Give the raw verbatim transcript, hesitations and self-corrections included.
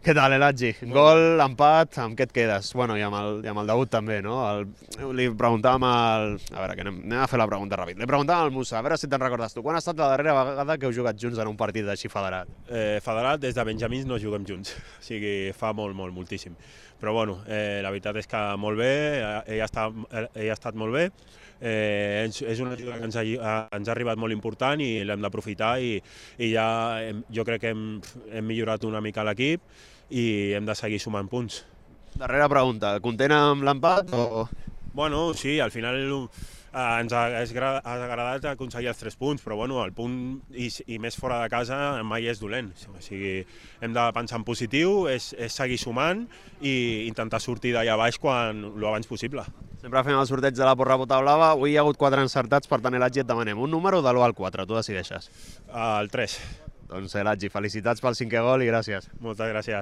Què tal, Elatji? Gol, empat, amb què et quedes? Bueno, i amb el, i amb el debut també, no? El, li preguntàvem al... A veure, que anem, anem a fer la pregunta ràpid. Li preguntàvem al Musa, a veure si te'n recordes tu. Quan ha estat la darrera vegada que heu jugat junts en un partit així federat? Eh, federat, des de Benjamins no juguem junts, o sigui, fa molt, molt, moltíssim. Però bueno, eh, la veritat és que molt bé, ell ha estat, ell ha estat molt bé, eh, és una ajuda que ens ha, ens ha arribat molt important i l'hem d'aprofitar i, i ja hem, jo crec que hem, hem millorat una mica l'equip i hem de seguir sumant punts. Darrera pregunta, content amb l'empat o...? Bueno, sí, al final eh, ens ha, ha agradat aconseguir els tres punts, però bueno, el punt i, i més fora de casa mai és dolent. O sigui, hem de pensar en positiu, és, és seguir sumant i intentar sortir d'allà baix quan lo abans possible. Sempre fem el sorteig de la porra bota blava, avui hi ha hagut quatre encertats, per tant, Elatji, et demanem un número de l'u al quatre, tu decideixes. El tres. Doncs, Elatji, felicitats pel cinquè gol i gràcies. Moltes gràcies.